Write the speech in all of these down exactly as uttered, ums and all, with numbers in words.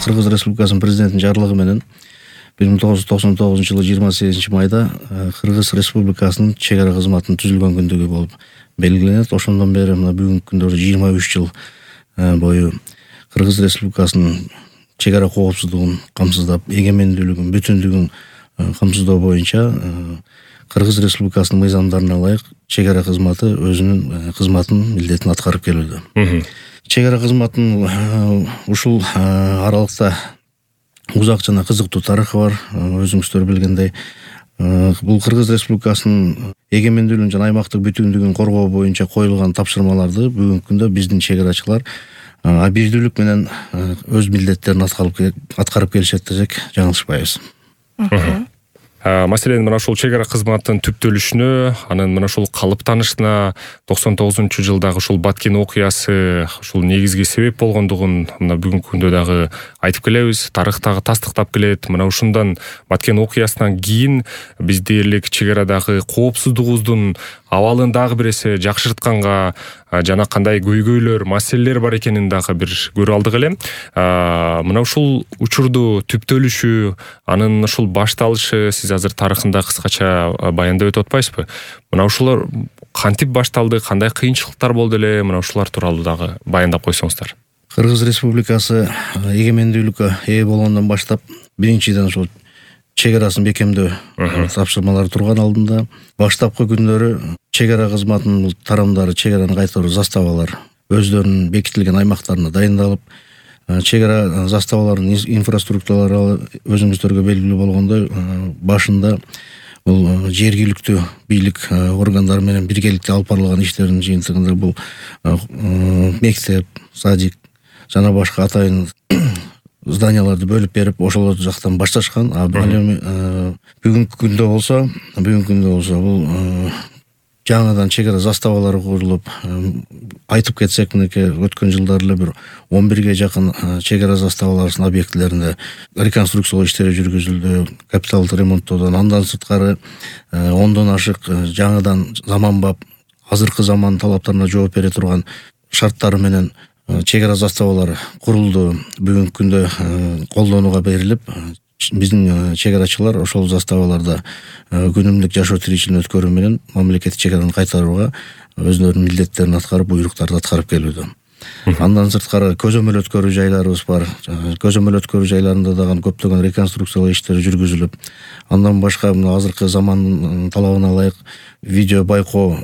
Кыргыз Республикасынын президентинин жарлыгы менен бир миң тогуз жүз токсон тогузунчу жылы жыйырма сегизинчи майда Кыргыз Республикасынын чек ара кызматынын түзүлгөн күндүгү болуп белгиленет. Ошондон бери мына бүгүнкү күндө жыйырма үч жыл бою Кыргыз Республикасынын чек ара коопсуздугун камсыздап, эгемендүүлүгүн, бүтүндүгүн камсыздоо боюнча Кыргыз Республикасынын мыйзамдарына ылайык чек ара кызматы өзүнүн кызматын, милдетин аткарып келүүдө. Чек ара кызматынын ушул аралыкта узак жана кызыктуу тарыхы бар. Өзүңүздөр билгендей, бул Кыргыз Республикасынын эгемендүүлүгүн жана аймактык бүтүндүгүн коргоо боюнча коюлган тапшырмаларды бүгүнкү күндө биздин чек арачылар абийирдүүлүк менен өз милдеттерин аткарып келишет десек жаңылышпайбыз. Маселен, мына ушул чек ара кызматынын түптөлүшүнө, анын мына ушул калыптанышына токсон тогузунчу жылдагы ушул Баткен окуясы ушул негизги себеп болгондугун мына бүгүнкү күндө дагы айтып келебиз. Тарыхтагы тастыктап келет. Мына ушундан Баткен окуясынан кийин биз дээрлик чек арадагы коопсуздугубуздун абалын дагы бир эсе жакшыртканга жана кандай көйгөйлөр, маселелер бар экенин дагы бир көрө алдык эле. Мына ушул учурду түптөлүшү, анын ушул башталышы сиз азыр тарыхында кыскача баяндап өтүп атпайсызбы? Мына ушулар кантип башталды, кандай кыйынчылыктар болду эле? Мына ушулар тууралуу дагы баяндап койсоңуздар. Кыргыз Республикасы эгемендүүлүккө ээ болгондон баштап биринчиден ушул чек арасын бекемдөө тапшырмалары турган алдында баштапкы күндөрү чек ара кызматынын тарамдары чек араны кайтаруу заставалар өздөрүнүн бекитилген аймактарына дайындалып, чек ара заставаларынын инфраструктуралары өзүңүздөргө белгилүү болгондой башында бул жергиликтүү бийлик органдары менен биргеликте алып барылган иштердин жыйынтыгында бул мектеп, садик жана башка атайын зданияларды бөлүп берип, ошол жактан башташкан. А бүгүнкү күндө болсо, бүгүнкү күндө болсо бул жаңадан чек ара заставалары курулуп, айтып кетсек, мынакей өткөн жылдары эле бир он бирге жакын чек ара заставаларынын объектилеринде реконструкциялоо иштери жүргүзүлдү, капиталдык ремонттоодон. Андан сырткары ондон ашык жаңадан заманбап, азыркы заман талаптарына жооп бере турган шарттары менен чек ара заставалары курулду. Бүгүнкү күндө колдонууга берилип, биздин чек арачылар ошол заставаларда күнүмдүк жашоо тиричилигин өткөрүү менен мамлекеттик чек араны кайтарууга өздөрүнүн милдеттерин аткарып, буйруктарды аткарып келүүдө. Андан сырткары көзөмөл өткөрүү жайларыбыз бар. Көзөмөл өткөрүү жайларында дагы көптөгөн реконструкциялоо иштери жүргүзүлүп, андан башка мына азыркы замандын талабына ылайык видео байкоо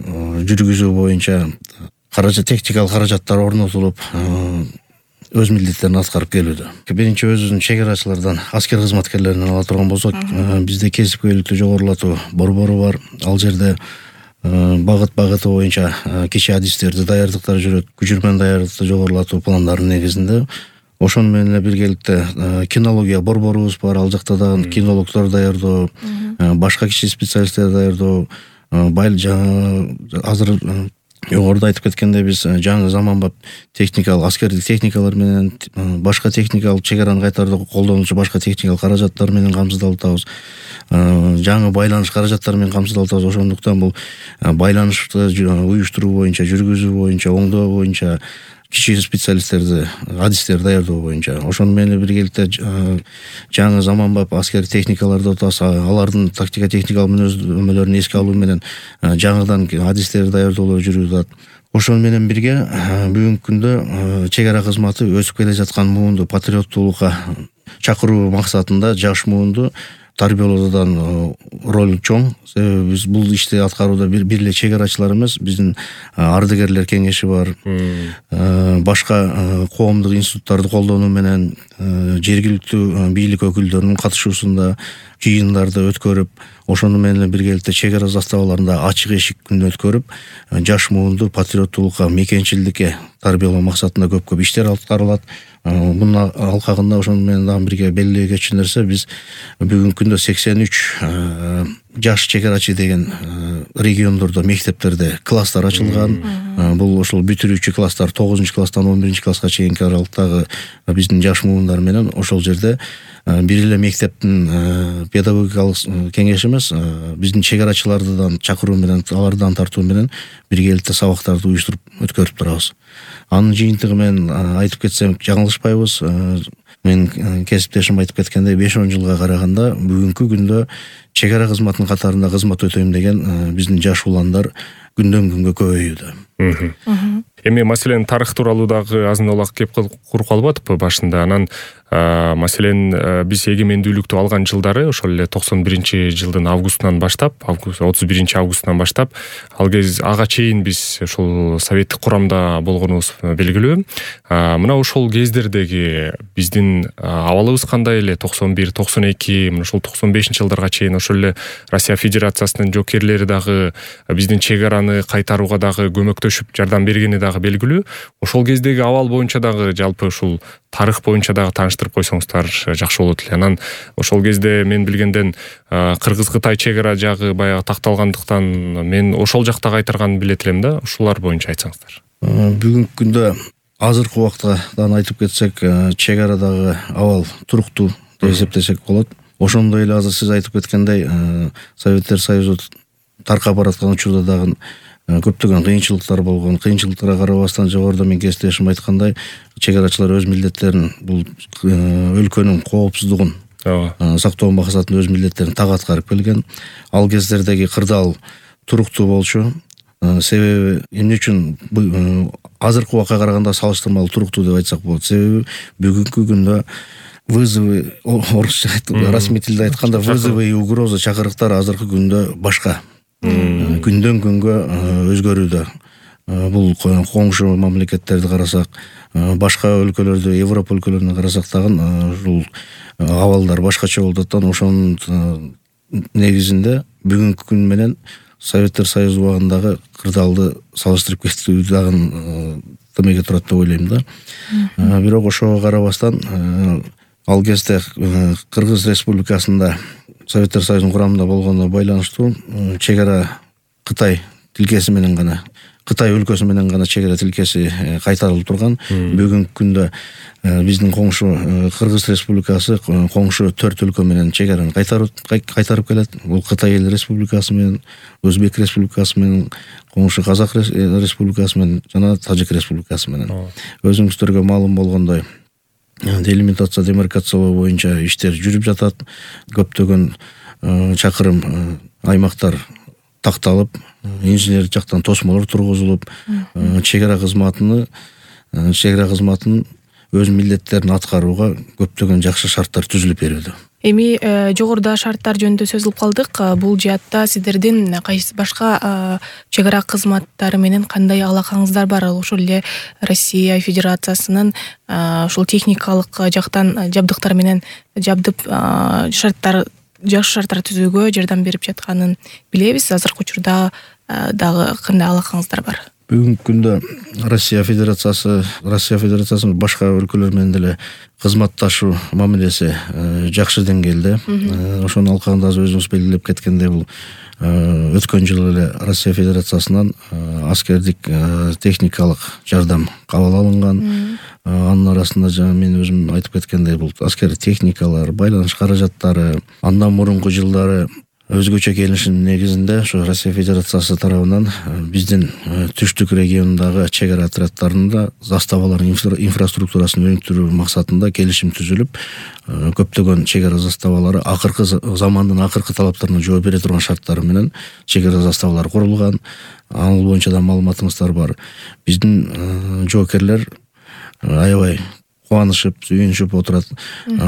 жүргүзүү боюнча каражат, техникалык каражаттар орнотулуп, өз милдеттерин аткарып келүүдө. Биринчи өзүбүздүн чек арачылардан, аскер кызматкерлеринен ала турган болсок, бизде кесипкөйлүктү жогорулатуу борбору бар. Ал жерде багыт-багыты боюнча кичи адистерди даярдыктар жүрөт. Күчүрмөн даярдыкты жогорулатуу пландарынын негизинде. Ошону менен эле биргеликте кинология борборубуз бар. Ал жакта дагы кинологдор даярдоо, башка кичи специалисттерди даярдоо, байл азыр жогоруда айтып кеткендей, биз жаңы заманбап техникалык, аскердик техникалар менен, башка техникалык чек араны кайтарууда колдонуучу башка техникалык каражаттар менен камсыздалып атабыз. Жаңы байланыш каражаттары менен камсыздалып атабыз. Ошондуктан бул байланышты уюштуруу боюнча, жүргүзүү боюнча, оңдоо боюнча кичи специалисттерди, адистерди даярдоо боюнча. Ошону менен биргеликте жаңы заманбап аскер техникаларды атабыз. Алардын тактика техникалык мүнөздөмөлөрүн эске алуу менен жаңыдан адистерди даярдоолор жүрүп атат. Ошону менен бирге бүгүнкү күндө чек ара кызматы өсүп келе жаткан муунду патриоттуулукка чакыруу максатында жаш муунду тарбиялоодон роль чоң. Себеби биз бул ишти аткарууда бир эле чек арачылар эмес, биздин ардыгерлер кеңеши бар. Башка коомдук институттарды колдонуу менен жергиликтүү бийлик өкүлдөрүнүн катышуусунда жыйындарды өткөрүп, ошону менен биргеликте чек ара заставаларында ачык эшик күнү өткөрүп, жаш муунду патриоттуулукка, мекенчилдикке тарбиялоо максатында көп-көп иштер аткарылат. Мунун алкагында ошону менен дагы бирге белгилей кетчү нерсе, биз бүгүнкү күндө сексен үч жаш чек арачы деген региондордо, мектептерде класстар ачылган. Бул ошол бүтүрүүчү класстар тогузунчу класстан он биринчи класска чейинки аралыктагы биздин жаш муундар менен ошол жерде бир эле мектептин педагогикалык кеңеши эмес, биздин чек арачылардан чакыруу менен, алардан тартуу менен биргеликте сабактарды уюштуруп өткөрүп турабыз. Анын жыйынтыгы менен айтып кетсем жаңылышпайбыз. менин кесиптешим айтып кеткендей беш он жылга караганда бүгүнкү күндө чек ара кызматынын катарында кызмат өтөйм деген биздин жаш уландар күндөн күнгө көбөйүүдө. Эми маселен тарых тууралуу дагы азын олак кеп куруп калбадыкпы башында? Анан маселен биз эгемендүүлүктү алган жылдары ошол эле токсон биринчи жылдын августунан баштап, август отуз биринчи августунан баштап ал кез ага чейин биз ошол советтик курамда болгонубуз белгилүү. Мына ошол кездердеги биздин абалыбыз кандай эле? токсон бир токсон эки мына ошол токсон бешинчи жылдарга чейин ошол эле Россия Федерациясынын жоокерлери дагы биздин чек араны кайтарууга дагы көмөктөшүп жардам бергени дагы белгилүү. Ошол кездеги абал боюнча дагы жалпы ушул тарых боюнча дагы тааныштырып койсоңуздар жакшы болот эле. Анан ошол кезде мен билгенден Кыргыз-Кытай чек ара жагы баягы такталгандыктан мен ошол жакта кайтарганын билет элем да. Ушулар боюнча айтсаңыздар. Бүгүнкү күндө азыркы убактадан айтып кетсек, чек арадагы абал туруктуу деп эсептесек болот. Ошондой эле азыр сиз айтып кеткендей Советтер Союзу таркап бараткан учурда дагы көптөгөн кыйынчылыктар болгон. Кыйынчылыктарга карабастан жогоруда мен кесиптешим айткандай, чек арачылар өз милдеттерин, бул өлкөнүн коопсуздугун сактоо максатында өз милдеттерин так аткарып келген. Ал кездердеги кырдаал туруктуу болчу. Себеби эмне үчүн азыркы убакка караганда салыштырмалуу туруктуу деп айтсак болот? Себеби бүгүнкү күндө вызовы, орусча расмий тилде айтканда, вызовы и угроза чакырыктар азыркы күндө башка. Күндөн күнгө өзгөрүүдө. Бул коңшу мамлекеттерди карасак, башка өлкөлөрдү, Европа өлкөлөрүнө карасак дагы ушул абалдар башкача болуп атат. Ошонун негизинде бүгүнкү күн менен Советтер Союзу убагындагы кырдаалды салыштырып кетүү дагы тымеге турат деп ойлойм да. Бирок ошого карабастан ал кезде Кыргыз Республикасында Советтер Союзунун курамында болгонуна байланыштуу чек ара Кытай тилкеси менен гана, Кытай өлкөсү менен гана чек ара тилкеси кайтарылып турган. Бүгүнкү күндө биздин коңшу Кыргыз Республикасы коңшу төрт өлкө менен чек араны кайтарып келет. Бул Кытай эл республикасы менен, Өзбек республикасы менен, коңшу Казак республикасы менен жана Тажик республикасы менен. Өзүңүздөргө маалым болгондой, делимитация, демаркациялоо боюнча иштер жүрүп жатат. Көптөгөн чакырым аймактар такталып, инженер жактан тосмолор тургузулуп, чек ара кызматыны, чек ара кызматынын өз милдеттерин аткарууга көптөгөн жакшы шарттар түзүлүп берүүдө. Эми жогоруда шарттар жөнүндө сөз кылып калдык. Бул жаатта сиздердин кайсы башка чек ара кызматтары менен кандай алакаңыздар бар? Ошол эле Россия Федерациясынын ушул техникалык жактан жабдыктар менен жабдып шарттар жакшы шарттар түзүүгө жардам берип жатканын билебиз. Азыркы учурда дагы кандай алакаңыздар бар? Бүгүнкү күндө Россия Федерациясы, Россия Федерациясынын башка өлкөлөр менен деле кызматташуу мамилеси жакшы деңгээлде. Ошонун алкагында өзүңүз белгилеп кеткендей, бул өткөн жылы эле Россия Федерациясынан аскердик техникалык жардам кабыл алынган. Анын арасында жана мен өзүм айтып кеткендей, бул аскер техникалар, байланыш каражаттары андан мурунку жылдары өзгөчө келишим негизинде ошо Россия Федерациясы тарабынан биздин түштүк регионундагы чек ара отряддарында заставалардын инфраструктурасын өнүктүрүү максатында келишим түзүлүп, көптөгөн чек ара заставалары акыркы замандын акыркы талаптарына жооп бере турган шарттары менен чек ара заставалары курулган. Ал боюнча да маалыматыңыздар бар. Биздин жоокерлер аябай кубанышып, сүйүнүшүп отурат.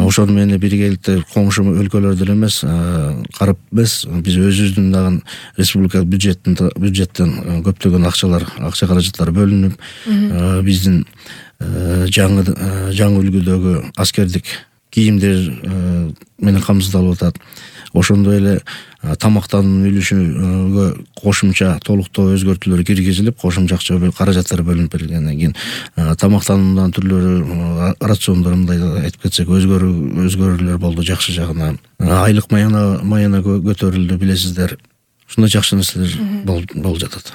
Ошону менен биргеликте коңшу өлкөлөрдө эле эмес, карап эмес, биз өзүбүздүн дагы республика бюджеттин бюджеттен көптөгөн акчалар, акча каражаттар бөлүнүп, биздин жаңы жаңы үлгүдөгү аскердик кийимдер менен камсыздалып атат. Ошондой эле тамактануунун үлүшүгө кошумча толуктоо өзгөртүүлөр киргизилип, кошумча акча каражаттар бөлүнүп берилгенден кийин тамактануунун түрлөрү, рациондор мындай айтып кетсек, өзгөрүү өзгөрүүлөр болду жакшы жагына. Айлык маяна маяна көтөрүлдү, билесиздер. Ушундай жакшы нерселер болуп жатат.